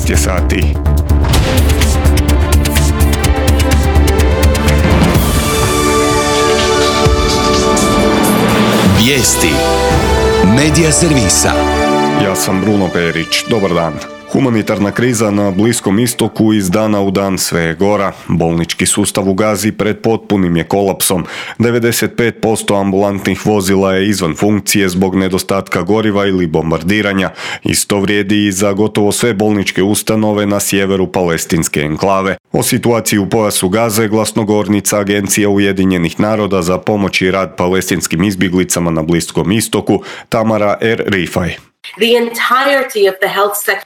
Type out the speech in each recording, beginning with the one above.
12 je sati. Vijesti Medija servisa. Ja sam Bruno Perić. Dobar dan. Humanitarna kriza na Bliskom istoku iz dana u dan sve je gora. Bolnički sustav u Gazi pred potpunim je kolapsom. 95% ambulantnih vozila je izvan funkcije zbog nedostatka goriva ili bombardiranja. Isto vrijedi i za gotovo sve bolničke ustanove na sjeveru palestinske enklave. O situaciji u pojasu Gaze glasnogovornica Agencija Ujedinjenih naroda za pomoć i rad palestinskim izbjeglicama na Bliskom istoku, Tamara Er-Rifaj.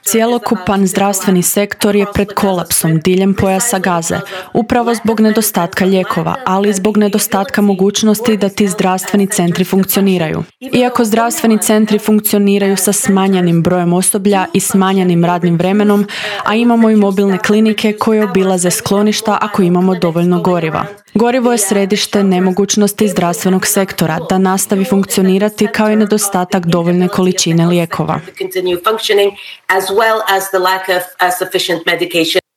Cjelokupan zdravstveni sektor je pred kolapsom diljem pojasa Gaze, upravo zbog nedostatka lijekova, ali i zbog nedostatka mogućnosti da ti zdravstveni centri funkcioniraju. Iako zdravstveni centri funkcioniraju sa smanjenim brojem osoblja i smanjenim radnim vremenom, a imamo i mobilne klinike koje obilaze skloništa ako imamo dovoljno goriva. Gorivo je središte nemogućnosti zdravstvenog sektora da nastavi funkcionirati kao i nedostatak dovoljne količine lijekova.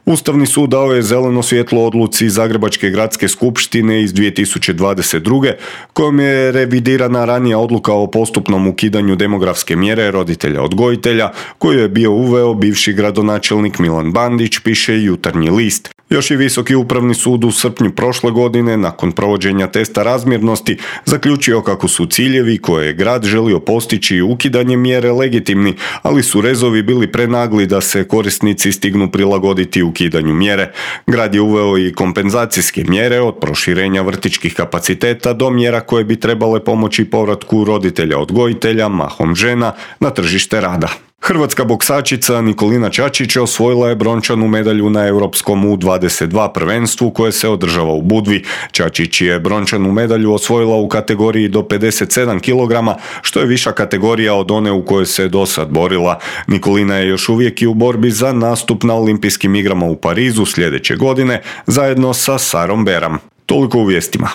Ustavni sud dao je zeleno svjetlo odluci Zagrebačke gradske skupštine iz 2022. kojom je revidirana ranija odluka o postupnom ukidanju demografske mjere roditelja odgojitelja koju je bio uveo bivši gradonačelnik Milan Bandić, piše Jutarnji list. Još i Visoki upravni sud u srpnju prošle godine, nakon provođenja testa razmjernosti, zaključio kako su ciljevi koje je grad želio postići ukidanjem mjere legitimni, ali su rezovi bili prenagli da se korisnici stignu prilagoditi ukidanju mjere. Grad je uveo i kompenzacijske mjere od proširenja vrtićkih kapaciteta do mjera koje bi trebale pomoći povratku roditelja odgojitelja, mahom žena, na tržište rada. Hrvatska boksačica Nikolina Čačić osvojila je brončanu medalju na Europskom U22 prvenstvu koje se održava u Budvi. Čačić je brončanu medalju osvojila u kategoriji do 57 kg, što je viša kategorija od one u kojoj se dosad borila. Nikolina je još uvijek i u borbi za nastup na Olimpijskim igrama u Parizu sljedeće godine, zajedno sa Sarom Beram. Toliko u vijestima.